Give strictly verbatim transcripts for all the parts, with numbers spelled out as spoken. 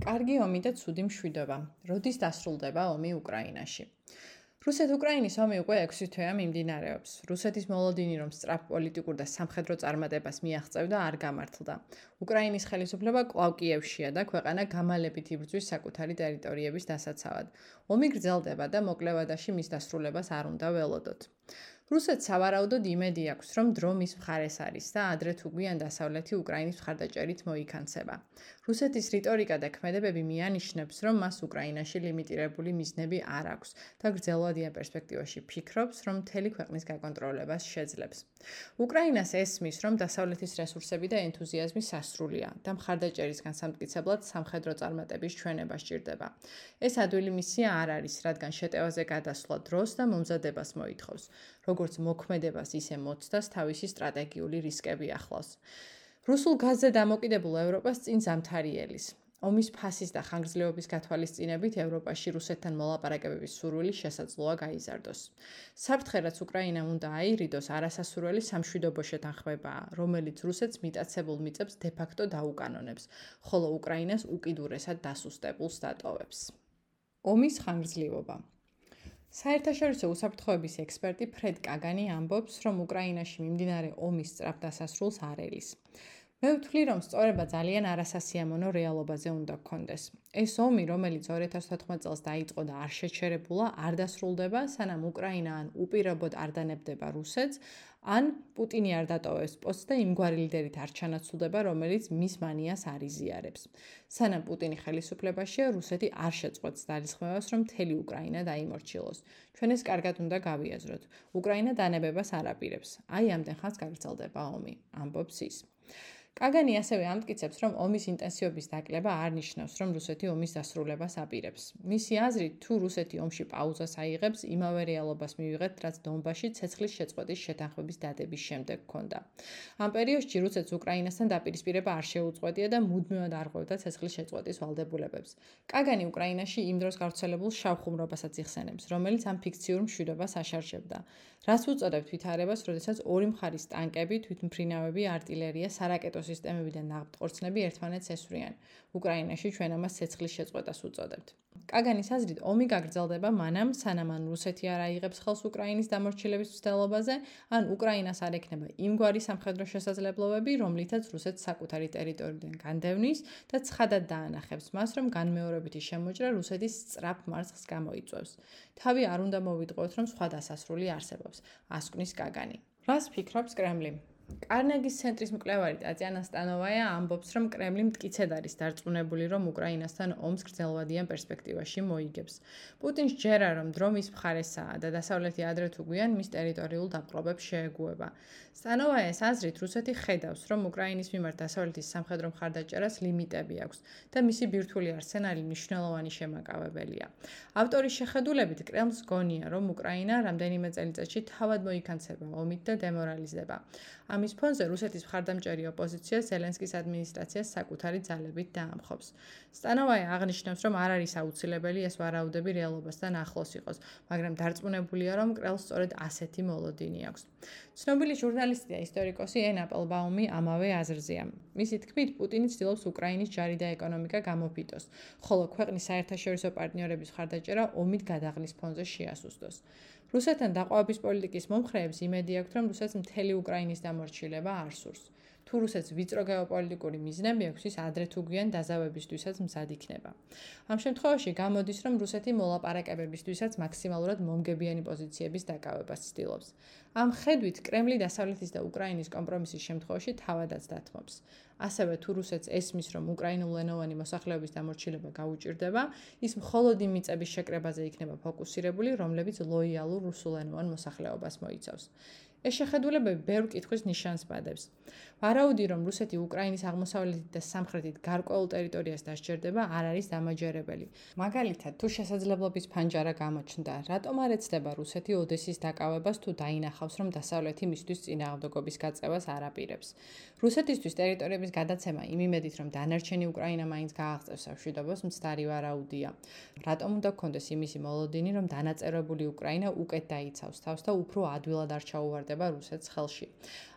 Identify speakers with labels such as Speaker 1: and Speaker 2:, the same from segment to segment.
Speaker 1: კარგი ომი და ცუდი მშვიდობა. როდის დასრულდება ომი უკრაინაში? რუსეთ-უკრაინის ომი უკვე ექვსი თვეა მიმდინარეობს. რუსეთის მოლოდინი, რომ სწრაფ პოლიტიკურ და სამხედრო წარმატებას მიაღწევდა, არ გამართლდა. უკრაინის ხელისუფლება კვლავ კიევშია და ქვეყანა გამალებით იბრძვის საკუთარი ტერიტორიების დასაცავად. ომი გრძელდება და მოკლევადაში მის დასრულებას არ უნდა ველოდოთ. რუსეთს სავარაუდოდ იმედი აქვს, რომ დრო მის მხარეს არის და ადრე თუ გვიან დასავლეთი უკრაინის მხარდაჭერით მოიქანცება. რუსეთის რიტორიკა და ქმედებები მიანიშნებს, რომ მას უკრაინაში ლიმიტირებული მიზნები არ აქვს და გრძელვადიან პერსპექტივაში ფიქრობს, რომ მთელი ქვეყნის გაკონტროლებას შეძლებს. უკრაინას ესმის, რომ დასავლეთის რესურსები და ენთუზიაზმი სასრულია და მხარდაჭერის განსამტკიცებლად სამხედრო წარმატების ჩვენება სჭირდება. ეს ადვილი მისია არ არის, რადგან შეტევაზე გადასვლა დროს და მომზადებას მოითხოვს. როგორც მოქმედებას, ისე მოცდას თავისი სტრატეგიული რისკები ახლავს. რუსულ გაზზე დამოკიდებულ ევროპას წინ ზამთარიელის. ომის ფასის და ხანგრძლივობის გათვალისწინებით ევროპაში რუსეთთან მოლაპარაკებების სურვილი შესაძლოა გაიზარდოს. საფრთხე, რაც უკრაინამ უნდა აირიდოს, არასასურველი სამშვიდობო შეთანხმებაა, რომელიც რუსეთს მიტაცებულ მიწებს დე-ფაქტო დაუკანონებს, ხოლო უკრაინას უკიდურესად დასუსტებულს დატოვებს. ომის ხანგრძლივობა. საერთაშორისო უსაფრთხოების ექსპერტი ფრედ კაგანი ამბობს, რომ უკრაინაში მიმდინარე ომის სწრაფ დასასრულს არ ელის. მე ვთვლი, რომ სწორება ძალიან არასასიამოვნო რეალობაზე უნდა გქონდეს. ეს ომი, რომელიც ორი ათას ათოთხმეტ წელს დაიწყო და არ შეჩერებულა, არ დასრულდება, სანამ უკრაინა ან უპირობოდ არ დანებდება რუსეთს, ან პუტინი არ დატოვებს პოსტს და იმგვარი ლიდერით არ ჩანაცვლდება, რომელიც მის მანიას არ იზიარებს. სანამ პუტინი ხელისუფლებაშია, რუსეთი არ შეწყვეტს ძალისხმევას, რომ მთელი უკრაინა დაიმორჩილოს. ჩვენ ეს კარგად უნდა გავიაზროთ. უკრაინა დანებებას არ აპირებს. აი ამდენ ხანს გაგრძელდება ომი, ამბობს ის. კაგანი ასევე ამტკიცებს, რომ ომის ინტენსივობის დაკლება არ ნიშნავს, რომ რუსეთი ომის დასრულებას აპირებს. მისი აზრით, თუ რუსეთი ომში პაუზას აიღებს, იმავე რეალობას მივიღეთ, რაც დონბასში ცეცხლის შეწყვეტის შეთანხმების დადების შემდეგ ჰქონდა. ამ პერიოდში რუსეთს უკრაინასთან დაპირისპირება არ შეუწყვეტია და მუდმივად არღვევდა ცეცხლის შეწყვეტის ვალდებულებებს. კაგანი უკრაინაში იმ დროს გავრცელებულ შავ ხუმრობასაც იხსენებს, რომელიც ამ ფიქციურ მშვიდობას აშარშებდა. რას უწოდებთ ვითარებას, როდესაც ორი მხარის ტანკები, თვითმფრინავები, არტილერია, სარაკეტო სისტემები და ნავთყორცნები ერთმანეთს ესვრიან. უკრაინაში ჩვენ ამას ცეცხლის შეწყვეტას უწოდებთ. კაგანის აზრით, ომი გაგრძელდება მანამ, სანამ ან რუსეთი არ აიღებს ხელს უკრაინის დამორჩილების მცდელობაზე, ან უკრაინას არ ექნება იმგვარი სამხედრო შესაძლებლობები, რომლითაც რუსეთს საკუთარი ტერიტორიიდან განდევნის და ცხადად დაანახებს მას, რომ განმეორებითი შემოჭრა რუსეთის სწრაფ მარცხს გამოიწვევს. თავი არ უნდა მოვიტყუოთ, რომ სხვა დასასრული არსებობს, ასკვნის კაგანი. რას ფიქრობს კრემლი? კარნეგის ცენტრის მკვლევარი ტატიანა სტანოვაია ამბობს, რომ კრემლი მტკიცედ არის დარწმუნებული, რომ უკრაინასთან ომს გრძელვადიან პერსპექტივაში მოიგებს. პუტინს ჯერა, რომ დრო მის მხარესაა და დასავლეთი ადრე თუ გვიან მის ტერიტორიულ დაპყრობებს შეეგუება. სტანოვაიას აზრით, რუსეთი ხედავს, რომ უკრაინის მიმართ დასავლეთის სამხედრო მხარდაჭერას ლიმიტები აქვს და მისი ბირთვული არსენალი მნიშვნელოვანი შემაკავებელია. ავტორის შეხედულებით, კრემლს გონია, რომ უკრაინა რამდენიმე წელიწადში თავად მოიქანცება ომით და დემორალიზდება. ამის ფონზე რუსეთის მხარდამჭერი ოპოზიცია ზელენსკის ადმინისტრაციას საკუთარი ძალებით დაამხობს. სტანოვაია აღნიშნავს, რომ არ არის აუცილებელი ეს ვარაუდები რეალობასთან ახლოს იყოს, მაგრამ დარწმუნებულია, რომ კრემლს სწორედ ასეთი მოლოდინი აქვს. ცნობილი ჟურნალისტი და ისტორიკოსი ენ აპელბაუმი ამავე აზრზეა. მისი თქმით, პუტინი ცდილობს უკრაინის ჯარი და ეკონომიკა გამოფიტოს, ხოლო ქვეყნის საერთაშორისო პარტნიორების მხარდაჭერა ომით გადაღლის ფონზე შეასუსტოს. რუსეთთან დაყვავების პოლიტიკის მომხრეებს იმედი აქვთ, რომ რუსეთს მთელი უკრაინის დამორჩილება არ სურს. თუ რუსეთს ვიწრო გეოპოლიტიკური მიზნები აქვს, ის ადრე თუ გვიან დაზავებისთვისაც მზად იქნება. ამ შემთხვევაში გამოდის, რომ რუსეთი მოლაპარაკებებისთვისაც მაქსიმალურად მომგებიანი პოზიციების დაკავებას ცდილობს. ამ ხედვით, კრემლი დასავლეთის და უკრაინის კომპრომისის შემთხვევაში თავადაც დათმობს. ასევე თუ რუსეთს ესმის, რომ უკრაინულენოვანი მოსახლეობის დამორჩილება გაუჭირდება, ის მხოლოდ იმ მიწების შეკრებაზე იქნება ფოკუსირებული, რომლებიც ლოიალურ რუსულენოვან მოსახლეობას მოიცავს. ეს შეხედულებები ბევრ კითხვის ნიშანს ბადებს. ვარაუდი, რომ რუსეთი უკრაინის აღმოსავლეთით და სამხრეთით გარკვეულ ტერიტორიას დასჯერდება, არ არის დამაჯერებელი. მაგალითად, თუ შესაძლებლობის ფანჯარა გამოჩნდა, რატომ არ ეცდება რუსეთი ოდესის დაკავებას თუ დაინახავს, რომ დასავლეთი მისთვის წინააღმდეგობის გაწევას არ აპირებს. რუსეთისთვის ტერიტორიების გადაცემა იმ იმედით, რომ დანარჩენი უკრაინა მაინც გააღწევს სამშვიდობოს, მცდარი ვარაუდია. რატომ უნდა გქონდეს იმისი მოლოდინი, რომ დანაწევრებული უკრაინა უკეთ დაიცავს თავს და უფრო ადვილად არ ჩაუვარდება დამოკიდება რუსეთს ხელში.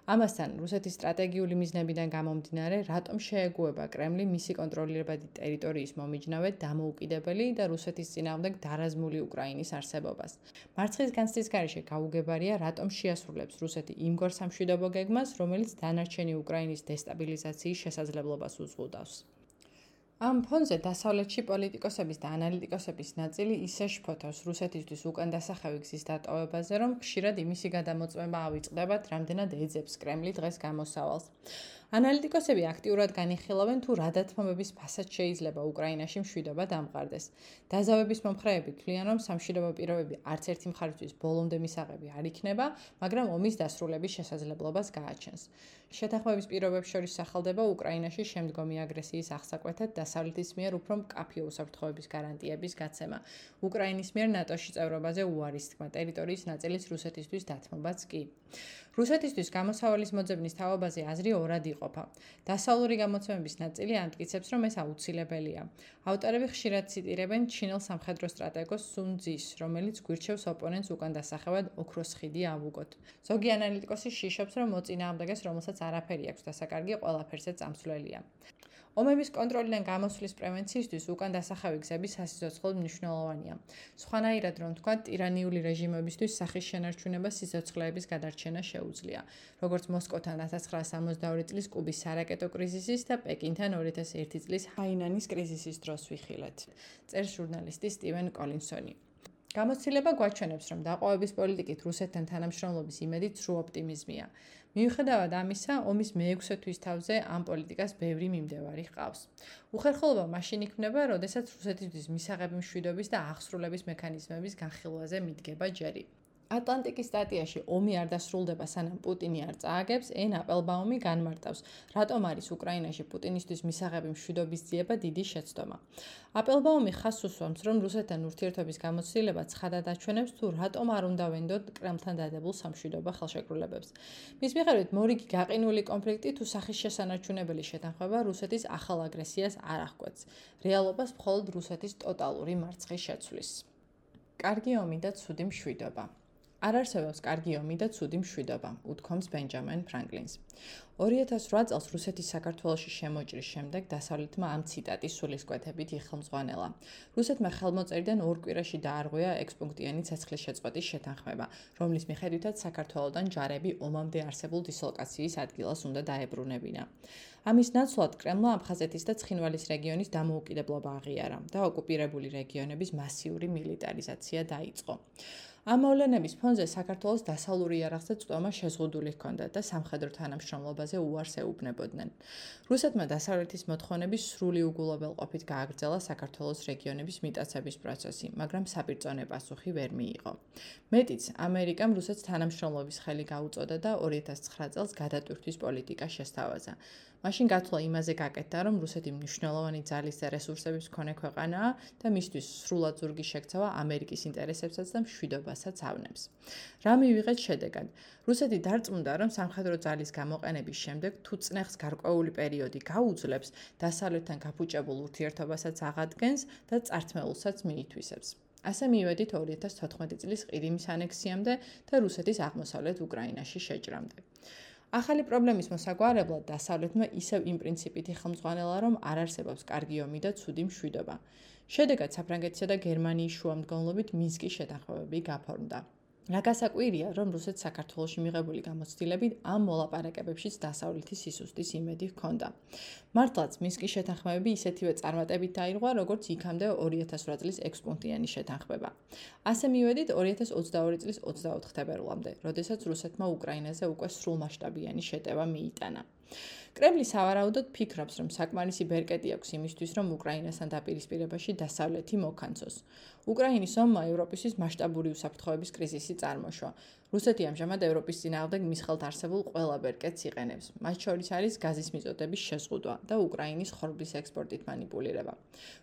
Speaker 1: ამასთან, რუსეთის სტრატეგიული მიზნებიდან გამომდინარე, რატომ შეეგუება კრემლი მისი კონტროლირებადი ტერიტორიის მომიჯნავედ დამოუკიდებელი და რუსეთის წინააღმდეგ დარაზმული უკრაინის არსებობას. მარცხის განცდის გარეშე გაუგებარია, რატომ შეასრულებს რუსეთი იმგვარ სამშვიდობო გეგმას, რომელიც დანარჩენი უკრაინის დესტაბილიზაციის შესაძლებლობას უზღუდავს. ამ ფონზე დასავლეთში პოლიტიკოსების და ანალიტიკოსების ნაწილი ისე შფოთავს რუსეთისთვის უკან დასახევი გზის დატოვებაზე, რომ ხშირად იმისი გადამოწმება ავიწყდებათ, რამდენად ეძებს კრემლი დღეს გამოსავალს. ანალიტიკოსები აქტიურად განიხილავენ, თუ რა დათმობების ფასად შეიძლება უკრაინაში მშვიდობა დამყარდეს. დაზავების მომხრეები თვლიან, რომ სამშვიდობო პირობები არც ერთი მხარისთვის ბოლომდე მისაღები არ იქნება, მაგრამ ომის დასრულების შესაძლებლობას გააჩენს. შეთანხმების პირობებს შორის სახელდება უკრაინაში შემდგომი აგრესიის აღსაკვეთად დასავლეთის მიერ უფრო მკაფიო უსაფრთხოების გარანტიების გაცემა. უკრაინის მიერ ნატოში წევრობაზე უარის თქმა, ტერიტორიის ნაწილის რუსეთისთვის დათმობაც კი. რუსეთისთვის გამოსავალის მოძებნის თაობაზე აზრი ორად იყოფა. დასავლური გამოცემების ნაწილი ამტკიცებს, რომ ეს აუცილებელია. ავტორები ხშირად ციტირებენ ჩინელ სამხედრო სტრატეგოს სუნ ძის, რომელიც გვირჩევს ოპონენტს უკან დასახევად ოქროს ხიდი ავუგოთ. ზოგი ანალიტიკოსი შიშობს, რომ მოწინააღმდეგეს, რომელსაც არაფერი აქვს დასაკარგი, ყველაფერზე წამსვლელია. ომების კონტროლიდან გამოსვლის პრევენციისთვის უკან დასახევი გზები სასიცოცხლოდ მნიშვნელოვანია. სხვანაირად რომ თქვა, ტირანიული რეჟიმებისთვის სახის შენარჩუნება სიცოცხლეების გადარჩენა შეუძლია, როგორც მოსკოვთან ათას ცხრაასა სამოცდაორი წლის კუბის სარაკეტო კრიზისის და პეკინთან ორი ათას ერთი წლის ჰაინანის კრიზისის დროს ვიხილეთ. წერს ჟურნალისტი სტივენ კოლინსონი. გამოცდილება გვაჩვენებს, რომ დაყოვების პოლიტიკით რუსეთთან თანამშრომლობის იმედი ცრუ ოპტიმიზმია. მიუხედავად ამისა, ომის მეექვსე თვის თავზე ამ პოლიტიკას ბევრი მიმდევარი ჰყავს. უხერხულობა მაშინ იქმნება, როდესაც რუსეთისთვის მისაღები მშვიდობის და აღსრულების მექანიზმების განხილვაზე მიდგება ჯერი. ატლანტიკის სტატიაში ომი არ დასრულდება, სანამ პუტინი არ წააგებს, ენ აპელბაუმი განმარტავს, რატომ არის უკრაინაში პუტინისთვის მისაღები მშვიდობის ძიება დიდი შეცდომა. აპელბაუმი ხაზს უსვამს, რომ რუსეთთან ურთიერთობის გამოცდილება ცხადად აჩვენებს, თუ რატომ არ უნდა ვენდოთ კრემლთან დადებულ სამშვიდობო ხელშეკრულებებს. მის მიხედვით, მორიგი გაყინული კონფლიქტი თუ სახის შესანარჩუნებელი შეთანხმება რუსეთის ახალ აგრესიას არ აღკვეთს. რეალობას მხოლოდ რუსეთის ტოტალური მარცხის შეცვლის. კარგი ომი და ცუდი მშვიდობა. არ არსებობს კარგი ომი და ცუდი მშვიდობა, უთქვამს ბენჯამინ ფრანკლინს. ორი ათას რვა წელს რუსეთის საქართველოში შემოჭრის შემდეგ დასავლეთმა ამ ციტატის სულისკვეთებით იხელმძღვანელა. რუსეთმა ხელმოწერიდან ორ კვირაში დაარღვია ექვსპუნქტიანი ცეცხლის შეწყვეტის შეთანხმება, რომლის მიხედვითაც საქართველოდან ჯარები ომამდე არსებულ დისლოკაციის ადგილას უნდა დაებრუნებინა. ამის ნაცვლად კრემლმა აფხაზეთის და ცხინვალის რეგიონის დამოუკიდებლობა აღიარა და ოკუპირებული რეგიონების მასიური მილიტარიზაცია დაიწყო. ამ მოვლენების ფონზე საქართველოს დასავლური იარაღზე წვდომა შეზღუდული ჰქონდა და სამხედრო თანამშრომლობაზე უარს ეუბნებოდნენ. რუსეთმა დასავლეთის მოთხოვნების სრული უგულობელყოფით გააგრძელა საქართველოს რეგიონების მიტაცების პროცესი, მაგრამ საბირწონე პასუხი ვერ მიიღო. მეტიც, ამერიკამ რუსეთს თანამშრომლობის ხელი გაუწოდა და ორი ათას ცხრა წელს გადატვირთვის პოლიტიკა შესთავაზა. მაშინ გათვლა იმაზე გაკეთდა, რომ რუსეთი მნიშვნელოვანი ძალის და რესურსების მქონე ქვეყანაა და მისთვის სრულად ზურგი შექცევა ამერიკის ინტერესებსაც და მშვიდობასაც ავნებს. რა მივიღეთ შედეგად? რუსეთი დარწმუნდა, რომ სამხედრო ძალის გამოყენების შემდეგ თუ წნეხს გარკვეული პერიოდი გაუძლებს, დასავლეთთან გაფუჭებულ ურთიერთობასაც აღადგენს და წართმეულსაც მიითვისებს. ასე მივედით ორი ათას თოთხმეტი წლის ყირიმის ანექსიამდე და რუსეთის აღმოსავლეთ უკრაინაში შეჭრამდე. ახალი პრობლემის მოსაგვარებლად დასავლეთმა ისევ იმ პრინციპით იხელმძღვანელა, რომ არ არსებობს კარგი ომი და ცუდი მშვიდობა. შედეგად საფრანგეთისა და გერმანიის შუამდგომლობით მინსკის შეთანხმებები გაფორმდა. რა გასაკვირია, რომ რუსეთს საქართველოში მიღებული გამოცდილებით ამ მოლაპარაკებებშიც დასავლეთის სისუსტის იმედი ჰქონდა. მართლაც მინსკის შეთანხმებები ისეთივე წარმატებით დაირღვა, როგორც იქამდე ორი ათას რვა წლის ექვსპუნქტიანი შეთანხმება. ასე მივედით ორი ათას ოცდაორი წლის ოცდაოთხ თებერვლამდე, როდესაც რუსეთმა უკრაინაზე უკვე სრულმასშტაბიანი შეტევა მიიტანა. კრემლი სავარაუდოდ ფიქრობს, რომ საკმარისი ბერკეტი აქვს იმისთვის, რომ უკრაინასთან დაპირისპირებაში დასავლეთი მოკანცოს. უკრაინის ომმა ევროპისთვის მასშტაბური უსაფრთხოების კრიზისი წარმოშვა. რუსეთი ამჟამად ევროპის წინააღმდეგ მის ხელთ არსებულ ყველა ბერკეტს იყენებს. მათ შორის არის გაზის მიწოდების შეზღუდვა და უკრაინის ხორბლის ექსპორტით მანიპულირება.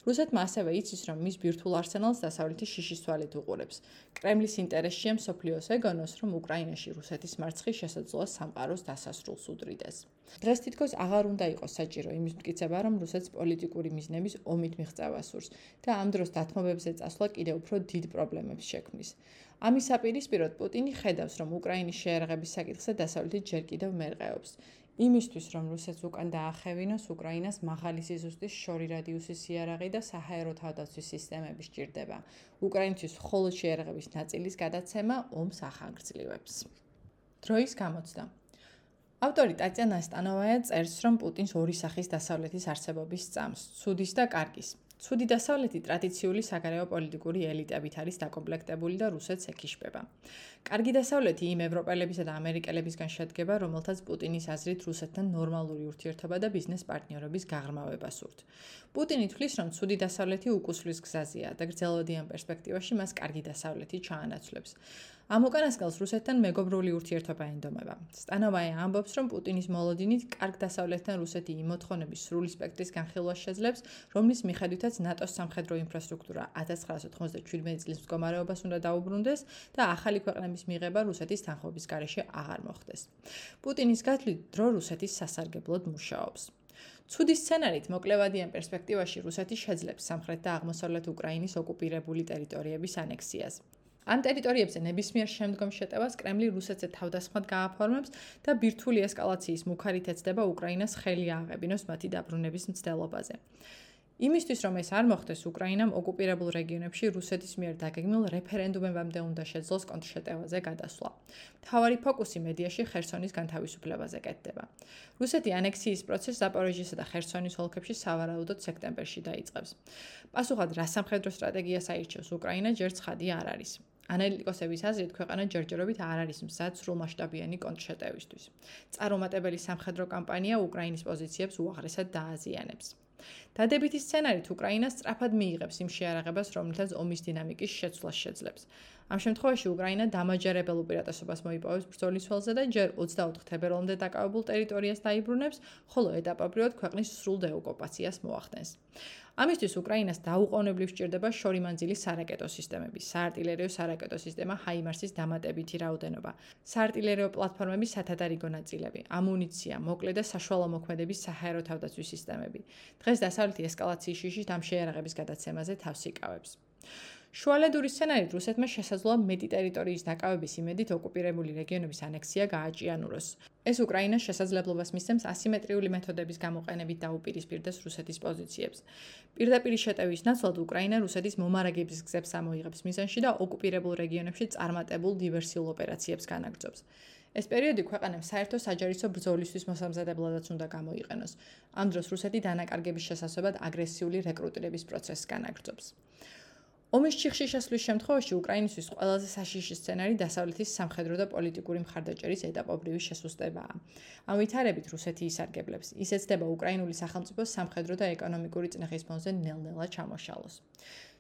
Speaker 1: რუსეთმა ასევე იცის, რომ მის ბირთვულ არსენალს დასავლეთი შიშის თვალით უყურებს. კრემლის ინტერესშია მსოფლიოს ეგონოს, რომ უკრაინაში რუსეთის მარცხი შესაძლოა სამყაროს დასასრულს უდრიდეს. დღეს თითქოს აღარ უნდა იყოს საჭირო იმის მტკიცება, რომ რუსეთს პოლიტიკური მიზნების ომით მიღწევა სურს და ამ დროს დათმობებზე წასვლა კიდევ უფრო დიდ პრობლემებს შექმნის. ამის საპირისპიროდ პუტინი ხედავს, რომ უკრაინის შეერაღების საკითხზე დასავლეთი ჯერ კიდევ მერყეობს. იმისთვის, რომ რუსეთს უკან დაახევინოს, უკრაინას მაღალი სიზუსტის შორი რადიუსის იარაღი და საჰაერო თავდაცვის სისტემები სჭირდება. უკრაინისთვის მხოლოდ შეერაღების ნაწილის გადაცემა ომს ახანგრძლივებს. დროის გამოცდა. ავტორი ტატიანა სტანოვაია წერს, რომ პუტინს ორი სახის დასავლეთის არსებობის სწამს, ცუდის და კარგის. ცუდი დასავლეთი ტრადიციული საგარეო პოლიტიკური ელიტებით არის დაკომპლექტებული და რუსეთს ეკიშება. კარგი დასავლეთი იმ ევროპელებისა და ამერიკელებისგან შედგება, რომელთაც პუტინის აზრით რუსეთთან ნორმალური ურთიერთობა და ბიზნეს პარტნიორობის გაღრმავება სურთ. პუტინი თვლის, რომ ცუდი დასავლეთი უკუსვლის გზაზეა და გრძელვადიან პერსპექტივაში მას კარგი დასავლეთი ჩაანაცვლებს. ამ უკანასკნელს რუსეთთან მეგობრული ურთიერთობა ენდომება. სტანოვაია ამბობს, რომ პუტინის მოლოდინით კარგ დასავლეთთან რუსეთი იმ მოთხოვნების სრული სპექტრის განხილვას შეძლებს, რომლის მიხედვითაც ნატოს სამხედრო ინფრასტრუქტურა ათას ცხრაასა ოცდაშვიდმეტი წლის მდგომარეობას უნდა დაუბრუნდეს და ახალი ქვეყნების მიღება რუსეთის თანხმობის გარეშე აღარ მოხდეს. პუტინის გათვლით დრო რუსეთის სასარგებლოდ მუშაობს. ცუდი სცენარით მოკლევადიან პერსპექტივაში რუსეთი შეძლებს სამხრეთ და აღმოსავლეთ უკრაინის ოკუპირებული ტერიტორიების ანექსიას. ამ ტერიტორიებზე ნებისმიერ შემდგომ შეტევას კრემლი რუსეთზე თავდასხმად გააფორმებს და ბირთვული ესკალაციის მუქარით ეცდება უკრაინას ხელი ააღებინოს მათი დაბრუნების მცდელობაზე. იმისთვის, რომ ეს არ მოხდეს, უკრაინამ ოკუპირებულ რეგიონებში რუსეთის მიერ დაგეგმილ რეფერენდუმებამდე უნდა შეძლოს კონტრშეტევაზე გადასვლა. მთავარი ფოკუსი მედიაში ხერსონის განთავისუფლებაზე კეთდება. რუსეთი ანექსიის პროცესს ზაპოროჟიესა და ხერსონის ოლქებში სავარაუდოდ სექტემბერში დაიწყებს. პასუხად რა სამხედრო სტრატეგიას აირჩევს უკრაინა, ჯერ ცხადი არ არის. ანალიტიკოსების აზრით, ქვეყანა ჯერჯერობით არ არის მზად სრულმასშტაბიანი კონტრშეტევისთვის. წარუმატებელი სამხედრო კამპანია უკრაინის პოზიციებს უაღრესად დააზიანებს. დადებითი სცენარით უკრაინა სწრაფად მიიღებს იმ შეარაღებას, რომლითაც ომის დინამიკის შეცვლას შეძლებს. ამ შემთხვევაში უკრაინა დამაჯერებელ უპირატესობას მოიპოვებს ბრძოლის ველზე და ჯერ ოცდაოთხ თებერვალამდე დაკავებულ ტერიტორიას დაიბრუნებს, ხოლო ეტაპობრივად ქვეყნის სრულ დეოკუპაციას მოახდენს. ამისთვის უკრაინას დაუყოვნებლივ სჭირდება შორიმანძილის სარაკეტო სისტემები, საარტილერიო სარაკეტო სისტემა ჰაიმარსის დამატებითი რაოდენობა, საარტილერიო პლატფორმების სათადარიგო ნაწილები, ამუნიცია, მოკლე და საშუალო მოქმედების საჰაერო თავდაცვის სისტემები. დღეს დასავლეთი ესკალაციის შიშით ამ შეიარაღების გადაცემაზე თავს იკავებს. შუალედური სცენარით რუსეთმა შესაძლოა მეტი ტერიტორიის დაკავების იმედით ოკუპირებული რეგიონების ანექსია გააჭიანუროს. ეს უკრაინას შესაძლებლობას მისცემს ასიმეტრიული მეთოდების გამოყენებით დაუპირისპირდეს რუსეთის პოზიციებს. პირდაპირ შეტევის ნაცვლად უკრაინა რუსეთის მომარაგების გზებს ამოიღებს მიზანში და ოკუპირებულ რეგიონებში წარმატებულ დივერსიულ ოპერაციებს განაგრძობს. ეს პერიოდი ქვეყანამ საერთო საჯარისო ბრძოლისთვის მოსამზადებლადაც უნდა გამოიყენოს. ამ დროს რუსეთი დანაკარგების შესასწავლად აგრესიული რეკრუტირების პროცესს განაგრძობს. ომის ჩიხში შესვლის შემთხვევაში უკრაინისთვის ყველაზე საშიში სცენარი დასავლეთის სამხედრო და პოლიტიკური მხარდაჭერის ეტაპობრივი შესუსტებაა. ამ ვითარებით რუსეთი ისარგებლებს. ის ეცდება უკრაინული სახელმწიფოს სამხედრო და ეკონომიკური წნეხის ფონზე ნელ-ნელა ჩამოშალოს.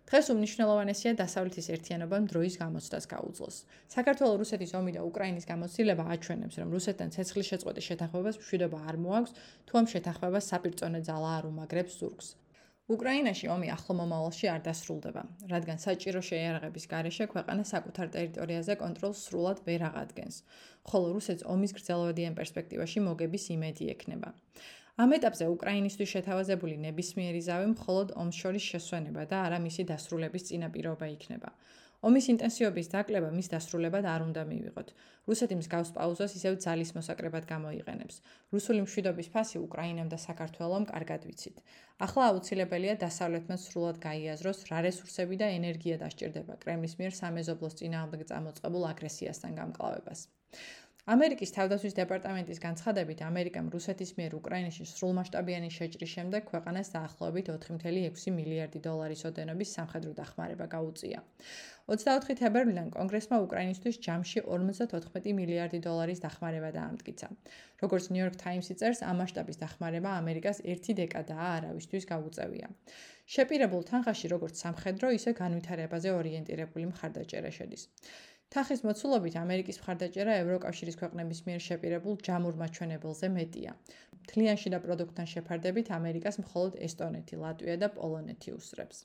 Speaker 1: დღეს უმნიშვნელოვანესია დასავლეთის ერთიანობამ დროის გამოცდას გაუძლოს. საქართველოს რუსეთის ომი და უკრაინის გამოცდილება აჩვენებს, რომ რუსეთთან ცეცხლის შეწყვეტის შეთანხმებას მშვიდობა არ მოაქვს, თუ ამ შეთანხმებას საპირწონე ძალა არ უმაგრებს ზურგს. უკრაინაში ომი ახლო მომავალში არ დასრულდება, რადგან საჭირო შეიარაღების გარეშე ქვეყანა საკუთარ ტერიტორიაზე კონტროლს სრულად ვერ აღადგენს, ხოლო რუსეთს ომის გრძელვადიან პერსპექტივაში მოგების იმედი ექნება. ამ ეტაპზე უკრაინისთვის შეთავაზებული ნებისმიერი ზავი მხოლოდ ომს შორის შესვენება და არა მისი დასრულების წინაპირობა იქნება. ომის ინტენსივობის დაკლება მის დასრულებად არ უნდა მივიღოთ. რუსეთი მსგავს პაუზას ისევ ძალის მოსაკრებად გამოიყენებს. რუსული მშვიდობის ფასი უკრაინამ და საქართველომ კარგად ვიცით. ახლა აუცილებელია დასავლეთმა სრულად გაიაზროს, რა რესურსები და ენერგია დასჭირდება კრემლის მიერ სამეზობლოს წინააღმდეგ წამოწყებულ აგრესიასთან გამკლავებას. ამერიკის თავდაცვის დეპარტამენტის განცხადებით, ამერიკამ რუსეთის მიერ უკრაინაში სრულმასშტაბიანი შეჭრის შემდეგ ქვეყანას დაახლოებით ოთხი წუთი ექვსი მილიარდი დოლარის ოდენობის სამხედრო დახმარება გაუწია. ოცდაოთხი თებერვლიდან კონგრესმა უკრაინისთვის ჯამში ორმოცდათოთხმეტი მილიარდი დოლარის დახმარება დაამტკიცა. როგორც New York Times-ი წერს, ამ მასშტაბის დახმარება ამერიკას ერთი დეკადაა არავისთვის გაუწევია. შეპირებულ თანხაში როგორც სამხედრო, ისე განვითარებაზე ორიენტირებული მხარდაჭერა შედის. თანხის მოცულობით ამერიკის მხარდაჭერა ევროკავშირის ქვეყნების მიერ შეპირებულ ჯამურ მაჩვენებელზე მეტია. მთლიანში და პროდუქტთან შეფარდებით ამერიკას მხოლოდ ესტონეთი, ლატვია და პოლონეთი უსწრებს.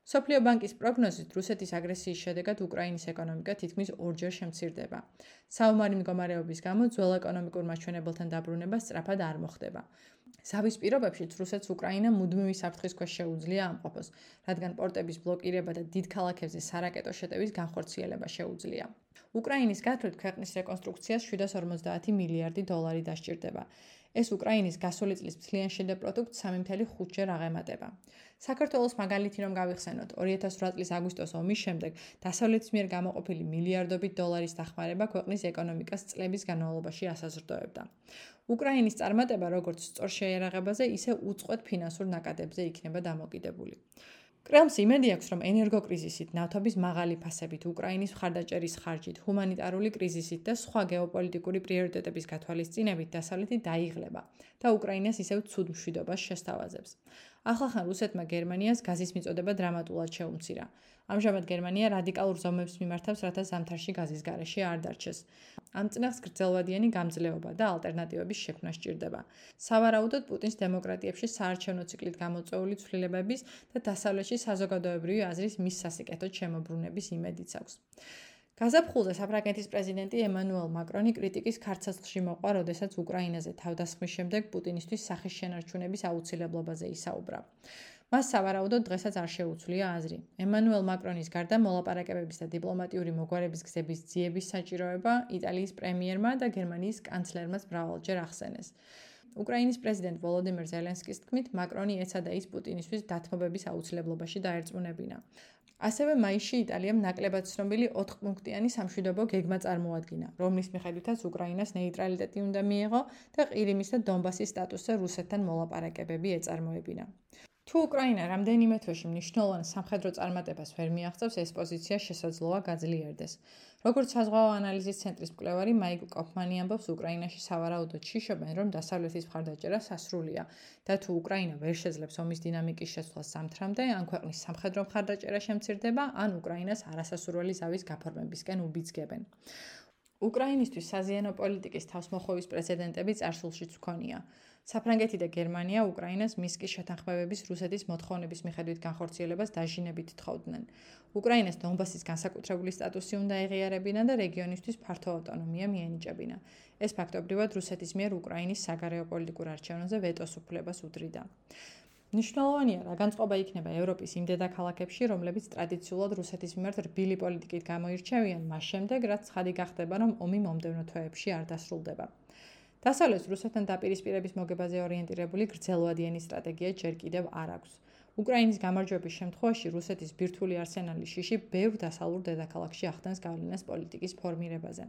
Speaker 1: მსოფლიო ბანკის პროგნოზით რუსეთის აგრესიის შედეგად უკრაინის ეკონომიკა თითქმის ორჯერ შემცირდება. საომარი მდგომარეობის გამო ძველ ეკონომიკურ მაჩვენებელთან დაბრუნება სწრაფად არ მოხდება. ზავის პირობებშიც რუსეთს უკრაინა მუდმივი საფრთხის ქვეშ შეუძლია ამყოფოს, რადგან პორტების ბლოკირება და დიდ ქალაქებზე სარაკეტო შეტევის განხორციელება შეუძლია. უკრაინის გათვლით ქვეყნის რეკონსტრუქციას შვიდას ორმოცდაათი მილიარდი დოლარი დასჭირდება. ეს უკრაინის გასული წლის მთლიან შიდე პროდუქტს სამი მცდე ხუთჯერ აღემატება. საქართველოს მაგალითი რომ გავიხსენოთ, ორი ათას რვა წლის აგვისტოს ომის შემდეგ დასავლეთის მიერ გამოყოფილი მილიარდობით დოლარის დახმარება ქვეყნის ეკონომიკას წლების განმავლობაში ასაზრდოებდა. უკრაინის წარმატება როგორც სწორ შეიარაღებაზე, ისე უწყვეტ ფინანსურ ნაკადებზე იქნება დამოკიდებული. კრემლს იმედი აქვს, რომ ენერგოკრიზისით, ნავთობის მაღალი ფასებით, უკრაინის მხარდაჭერის ხარჯით, ჰუმანიტარული კრიზისით და სხვა გეოპოლიტიკური პრიორიტეტების გათვალისწინებით დასავლეთი დაიღლება და უკრაინას ისევ ცუდ მშვიდობას შესთავაზებს. ახლახან რუსეთმა გერმანიას გაზის მიწოდება დრამატულად შეუმცირა. ამჟამად გერმანია რადიკალურ ზომებს მიმართავს, რათა ზამთარში გაზის გარეშე არ დარჩეს. ამ წინახს გრძელვადიანი გამძლეობა და ალტერნატივების შექმნა სჭირდება. სავარაუდოდ პუტინს დემოკრატიებში საარჩევნო ციკლით გამოწვეული ცვლილებების და დასავლეთში საზოგადოებრივი აზრის მის სასიკეთოდ შემოbrunების იმედიც აქვს. გაზაფხულზე საფრანგეთის პრეზიდენტი ემანუელ მაკრონი კრიტიკის ქარცაცლში მოყვა, როდესაც უკრაინაზე თავდასხმის შემდეგ პუტინისთვის სახის შენარჩუნების აუცილებლობაზე ისაუბრა. მას სავარაუდოდ დღესაც არ შეუცვლია აზრი. ემანუელ მაკრონის გარდა მოლაპარაკებების და დიპლომატიური მოგვარების გზების ძიების საჭიროება იტალიის პრემიერმა და გერმანიის კანცლერმაც მრავალჯერ ახსენეს. უკრაინის პრეზიდენტ ვოლოდიმირ ზელენსკის თქმით, მაკრონი ეცადა ის პუტინისთვის დათმობების აუცილებლობაში დაერწმუნებინა. ასევე მაისში იტალიამ ნაკლებად ცნობილი ოთხპუნქტიანი სამშვიდობო გეგმა წარმოადგინა, რომლის მიხედვითაც უკრაინას ნეიტრალიტეტი უნდა მიეღო და ყირიმის და დონბასის სტატუსზე რუსეთთან მოლაპარაკებები ეწარმოებინა. თუ უკრაინა რამდენიმე თვეში მნიშვნელოვან სამხედრო წარმატებას ვერ მიაღწევს, ეს პოზიცია შესაძლოა გაძლიერდეს. როგორც საზღვაო ანალიზის ცენტრის მკვლევარი მაიკლ კოფმანი ამბობს, უკრაინაში სავარაუდოდ შიშობენ, რომ დასავლეთის მხარდაჭერა სასრულია და თუ უკრაინა ვერ შეძლებს ომის დინამიკის შეცვლას ზამთრამდე, ან ქვეყნის სამხედრო მხარდაჭერა შემცირდება, ან უკრაინას არასასურველი ზავის გაფორმებისკენ უბიძგებენ. უკრაინისთვის საზიანო პოლიტიკის თავსმოხვევის პრეცედენტები წარსულშიც ჰქონია. საფრანგეთი და გერმანია უკრაინას მისკის შეთანხმებების რუსეთის მოთხოვნების მიხედვით განხორციელებას დაჟინებით თხოვდნენ. უკრაინას დონბასის განსაკუთრებული სტატუსი უნდა ეღიარებინა და რეგიონისთვის ფართო ავტონომია მიენიჭებინა. ეს ფაქტობრივად რუსეთის მიერ უკრაინის საგარეო პოლიტიკურ არჩევნებზე ვეტოს უფლებას უდრიდა. მნიშვნელოვანია, რა განწყობა იქნება ევროპის იმ დედაქალაქებში, რომლებიც ტრადიციულად რუსეთის მიმართ რბილი პოლიტიკით გამოირჩევიან, მას შემდეგ, რაც ცხადი გახდება, რომ ომი მომდევნო თვეებში არ დასრულდება. დასავლეთს რუსეთთან დაპირისპირების მოგებაზე ორიენტირებული გრძელვადიანი სტრატეგია ჯერ კიდევ არ აქვს. უკრაინის გამარჯვების შემთხვევაში რუსეთის ბირთვული არსენალის შიში ბევრ დასავლურ დედაქალაქში ახდენს გავლენას პოლიტიკის ფორმირებაზე.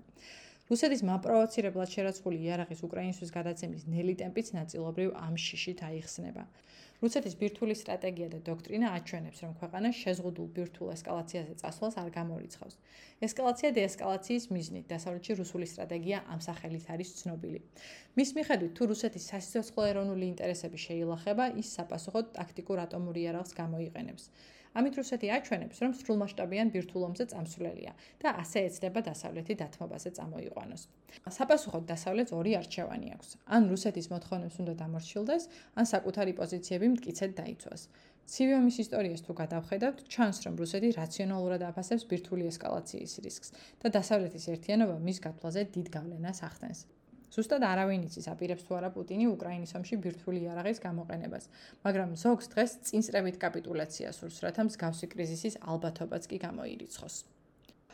Speaker 1: რუსეთის მაპროვოცირებლად შერაცხული იარაღის უკრაინისთვის გადაცემის ნელი ტემპიც ნაწილობრივ ამ შიშით აიხსნება. რუსეთის ბირთვული სტრატეგია და დოქტრინა აჩვენებს, რომ ქვეყანა შეზღუდულ ბირთვულ ესკალაციაზე წასვლას არ გამორიცხავს. ესკალაცია დეესკალაციის მიზნით, დასავლეთში რუსული სტრატეგია ამ სახელით არის ცნობილი. მის მიხედვით, თუ რუსეთის სასიცოცხლო ეროვნული ინტერესები შეილახება, ის საპასუხოდ ტაქტიკურ ატომურ იარაღს გამოიყენებს. ამით რუსეთი აჩვენებს, რომ სრულმასშტაბიან ბირთვულ ომზე წამსვლელია და ასე ეცდება დასავლეთი დათმობაზე წამოიყვანოს. საპასუხოდ დასავლეთს ორი არჩევანი აქვს. ან რუსეთის მოთხოვნებს უნდა დამორჩილდეს, ან საკუთარი პოზიციები მტკიცედ დაიცვას. ცივი ომის ისტორიას თუ გადავხედავთ, ჩანს, რომ რუსეთი რაციონალურად აფასებს ბირთვული ესკალაციის რისკს და დასავლეთის ერთიანობა მის გათვლაზე დიდ გავლენას ახდენს. ზუსტად არავინ იცის, აპირებს თუ არა პუტინი უკრაინის ომში ბირთვული იარაღის გამოყენებას, მაგრამ ზოგს დღეს წინსწრებით კაპიტულაცია სურს, რათა მსგავსი კრიზისის ალბათობაც კი გამოირიცხოს.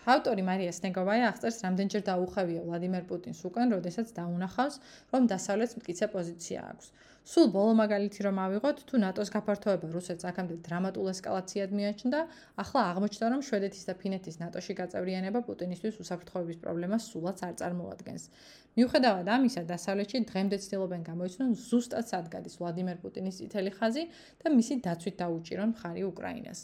Speaker 1: ავტორი მარია სნეგოვაია აღწერს, რამდენჯერ დაუხევია ვლადიმერ პუტინს უკან, როდესაც დაუნახავს, რომ დასავლეთს მტკიცე პოზიცია აქვს. სულ ბოლო მაგალითი რომ ავიღოთ, თუ ნატოს გაფართოება რუსეთს აქამდე დრამატულ ესკალაციად მიაჩნდა, ახლა აღმოჩნდა, რომ შვედეთის და ფინეთის ნატოში გაწევრიანება პუტინისთვის უსაფრთხოების პრობლემას სულაც არ წარმოადგენს. მიუხედავად ამისა, დასავლეთში დღემდე ცდილობენ გამოიცნონ ზუსტად სად გადის ვლადიმერ პუტინის წითელი ხაზი და მისი დაცვით დაუჭირონ მხარი უკრაინას.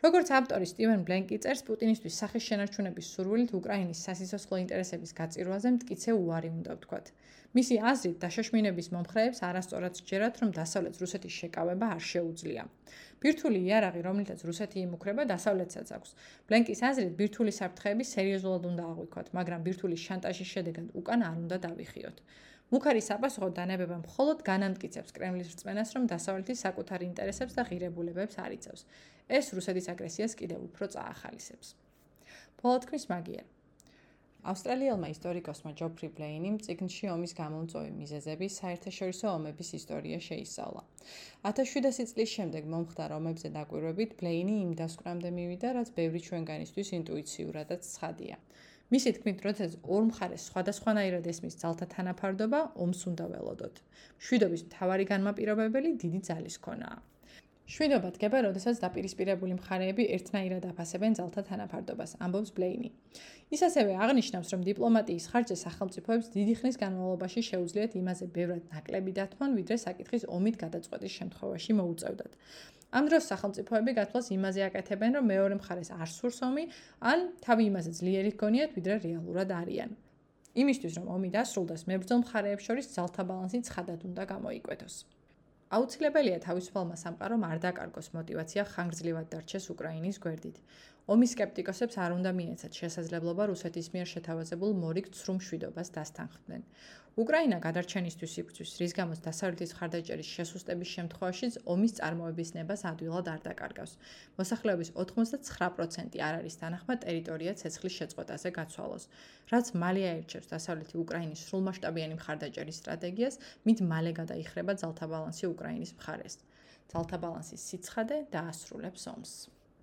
Speaker 1: როგორც ავტორი სტივენ ბლენკი წერს, პუტინისთვის სახის შენარჩუნების სურვილით უკრაინის სასიცოცხლო ინტერესების გაწირვაზე მტკიცე უარი უნდა ვთქვათ. მისი აზრით, დაშოშმინების მომხრეებს არასწორად სჯერათ, რომ დასავლეთს რუსეთის შეკავება არ შეუძლია. ბირთვული იარაღი, რომლითაც რუსეთი იმუქრება, დასავლეთსაც აქვს. ბლენკის აზრით, ბირთვული საფრთხეები სერიოზულად უნდა აღვიქვათ, მაგრამ ბირთვული შანტაჟის შედეგად უკან არ უნდა დავიხიოთ. მუქარი საპასუხოდ დანებება მხოლოდ განამტკიცებს კრემლის რწმენას, რომ დასავლეთი საკუთარ ინტერესებს და ღირებულებებს არ იცავს. ეს რუსეთის აგრესიას კიდევ უფრო წაახალისებს. ბოლო თქმის მაგიერ. ავსტრალიელმა ისტორიკოსმა ჯოფრი ბლეინიმ წიგნში ომის გამომწვევი მიზეზები საერთაშორისო ომების ისტორია შეისწავლა. ათას შვიდასი წლის შემდეგ მომხდარ ომებზე დაკვირვებით ბლეინი იმ დასკვნამდე მივიდა, რაც ბევრი ჩვენგანისთვის ინტუიციურადაც ცხადია. მისი თქმით, როდესაც ორ მხარეს სხვადასხვანაირად ესმის ძალთა თანაფარდობა, ომს უნდა ველოდოთ. მშვიდობის მთავარი განმაპირობებელი დიდი ძალის ქონაა. შვიდობა დგება, როდესაც დაპირისპირებული მხარეები ერთნაირად აფასებენ ძალთა თანაფარდობას, ამბობს ბლეინი. ის ასევე აღნიშნავს, რომ დიპლომატიის ხარჯზე სახელმწიფოებს დიდი ხნის განმავლობაში შეუძლიათ იმაზე ბევრად ნაკლები დათმონ, ვიდრე საკითხის ომით გადაწყვეტის შემთხვევაში მოუწევდათ. ამ დროს სახელმწიფოები გათვლას იმაზე აკეთებენ, რომ მეორე მხარეს არ სურს ომი, ან თავი იმაზე ძლიერი ჰგონიათ, ვიდრე რეალურად არიან. იმისთვის, რომ ომი დასრულდეს, მებრძოლ მხარეებს შორის ძალთა ბალანსი ცხადად უნდა გამოიკვეთოს. აუცილებელია თავისუფალმა სამყარომ არ დაკარგოს მოტივაცია ხანგრძლივად დარჩეს უკრაინის გვერდით. ომის სკეპტიკოსებს არ უნდა მიეცათ შესაძლებლობა რუსეთის მიერ შეთავაზებულ მორიგ ცრუ მშვიდობას დასთანხმდნენ. უკრაინა გადარჩენისთვის იბრძვის, რის გამოც დასავლეთის მხარდაჭერის შესუსტების შემთხვევაშიც ომის წარმოების ნებას ადვილად არ დაკარგავს. მოსახლეობის ოთხმოცდათცხრა პროცენტი არ არის თანახმა ტერიტორია ცეცხლის შეწყვეტაზე გაცვალოს. რაც მალე აირჩევს დასავლეთი უკრაინის სრულმასშტაბიანი მხარდაჭერის სტრატეგიას, მით მალე გადაიხრება ძალთა ბალანსი უკრაინის მხარეს. ძალთა ბალანსის სიცხადე დაასრულებს ომს.